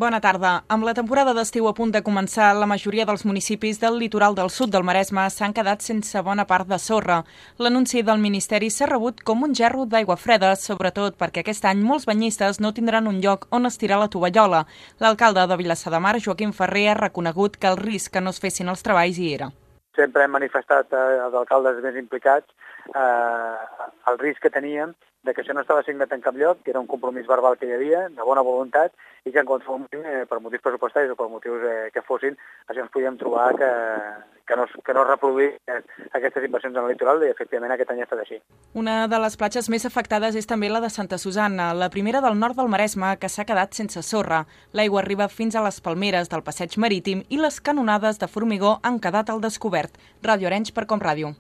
Bona tarda. Amb la temporada d'estiu a punt de començar, la majoria dels municipis del litoral del sud del Maresme s'han quedat sense bona part de sorra. L'anunci del Ministeri s'ha rebut com un gerro d'aigua freda, sobretot perquè aquest any molts banyistes no tindran un lloc on estirar la tovallola. L'alcalde de Vilassar de Mar, Joaquim Ferrer, ha reconegut que el risc que no es fessin els treballs hi era. Sempre hem manifestat als alcaldes més implicats el risc que teníem de que això no estava signat en cap lloc, que era un compromís verbal que hi havia, de bona voluntat, i que en qualsevol motiu, per motius pressupostaris o per motius que fossin, això ens podíem trobar que no es reproduís aquestes inversions en el litoral, i efectivament aquest any ha estat així. Una de les platges més afectades és també la de Santa Susanna, la primera del nord del Maresme, que s'ha quedat sense sorra. L'aigua arriba fins a les palmeres del passeig marítim i les canonades de formigó han quedat al descobert. Ràdio Arenys per Com Ràdio.